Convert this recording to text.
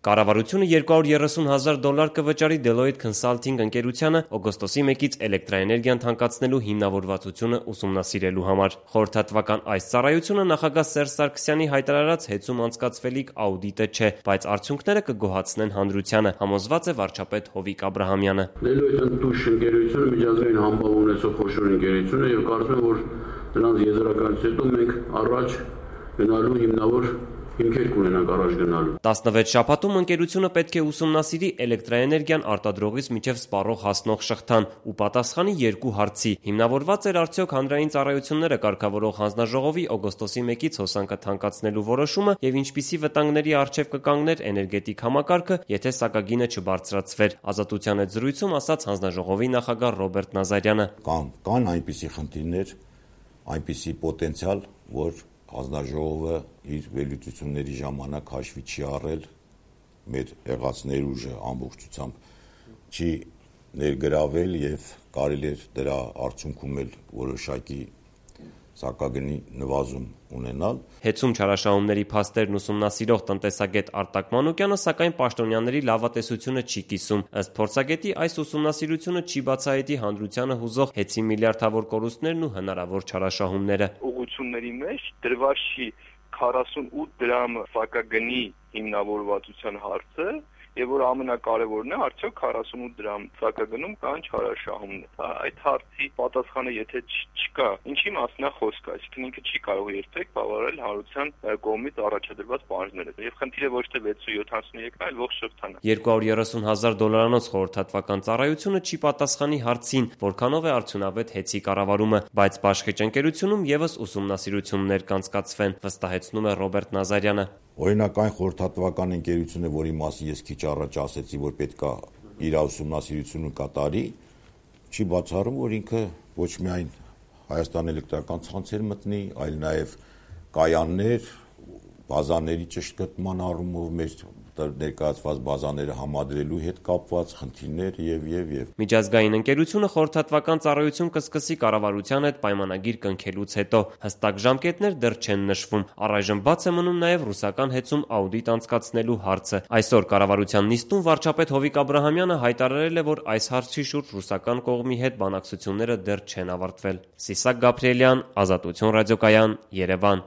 Կառավարությունը $230,000 կվճարի Deloitte Consulting ընկերությանը օգոստոսի 1-ից էլեկտրաէներգիան թանկացնելու հիմնավորվածությունը ուսումնասիրելու համար։ Խորհրդատվական այս ծառայությունը նախագահ Սերժ Սարգսյանի հայտարարած հեծում անցկացվելիք աուդիտը չէ, բայց արդյունքները կգոհացնեն հանրությանը, համոզված է վարչապետ Հովիկ Աբրահամյանը։ Deloitte ընկերությունը միջազգային համբավ ունեցող խոշոր ընկերություն է եւ կարծում եմ, որ նրանց եզրակացից հետո մենք առաջ գնալու հիմնավոր հիմքեր կունենանք առաջ գնալու։ 16 շաբաթում ընկերությունը պետք է ուսումնասիրի էլեկտրաէներգիան արտադրողից մինչև սպառող հասնող շղթան ու պատասխանի 2 հարցի. հիմնավորված էր արդյոք հանրային ծառայությունները կարգավորող հանձնաժողովի օգոստոսի 1-ից հոսանքը թանկացնելու որոշումը եւ ինչպիսի վտանգների առջեւ կկանգներ էներգետիկ համակարգը, եթե սակագինը չբարձրացվեր։ Ազատության հետ զրույցում ասաց հանձնաժողովի նախագահ Ռոբերտ Նազարյանը։ Կան այնպիսի խնդիրներ, այնպիսի պոտենցիալ, որ հանձնաժողովը իր վերլուծությունների ժամանակ հաշվի չի առել, մեր եղած ներուժը ամբողջությամբ չի ներգրավել եւ կարելի է դրա արդյունքում էլ որոշակի սակագնի նվազում ունենալ։ Հեծում չարաշահումների փաստերն ուսումնասիրող տնտեսագետ Արտակ Մանուկյանը սակայն պաշտոնյաների լավատեսությունը չի կիսում։ Ըստ փորձագետի, այս ուսումնասիրությունը չի բացահայտի հանրությանը հուզող հեծի միլիարդավոր կորուստներն ու հնարավոր չարաշահումները։ Ուղղությունների մեջ դրված չի 48 դրամ սակագնի հիմնավորվածության հարցը, եւ որ ամենակարևորն է, արդյոք 48 դրամ սակագնում կան չարաշահումներ։ Այդ հարցի պատասխանը եթե չկա, ինչի մասին է խոսքը, այսինքն ինքը չի կարող երբեք բավարարել հանրության կողմից առաջադրված պահանջները։ Եվ խնդիրը ոչ թե 673-ն, այլ ողջ շղթան է։ $230,000 խորհրդատվական ծառայությունը չի պատասխանի հարցին, որքանով է արդյունավետ հեծի կառավարումը, բայց Բաշխիճ ընկերությունում եւս ուսումնասիրություններ կանցկացվեն, վստահեցնում է Ռոբերտ Նազարյանը։ Օրինակ այն խորհրդատվական ընկերությունը, որի մասին ես քիչ առաջ ասեցի, որ պետքա իր ուսումնասիրությունը կատարի, չի բացառում, որ ինքը ոչ միայն Հայաստան էլեկտրական ցանցեր մտնի, այլ նաև կայաններ, բազաների ճշգրտման առումով մեր ներկայացված բազաները համադրելու հետ կապված խնդիրներ եւ։ Միջազգային ընկերությունը խորհրդատվական ծառայություն կսկսի կառավարության հետ պայմանագիր կնքելուց հետո։ Հստակ ժամկետներ դեռ չեն նշվում։ Առայժմ բաց է մնում նաև ռուսական հեծում աուդիտ անցկացնելու հարցը։ Այսօր կառավարության նիստում վարչապետ Հովիկ Աբրահամյանը հայտարարել է, որ այս հարցի շուրջ ռուսական կողմի հետ բանակցությունները դեռ չեն ավարտվել։ Սիսակ Գաբրիելյան, Ազատություն ռադիոկայան, Երևան։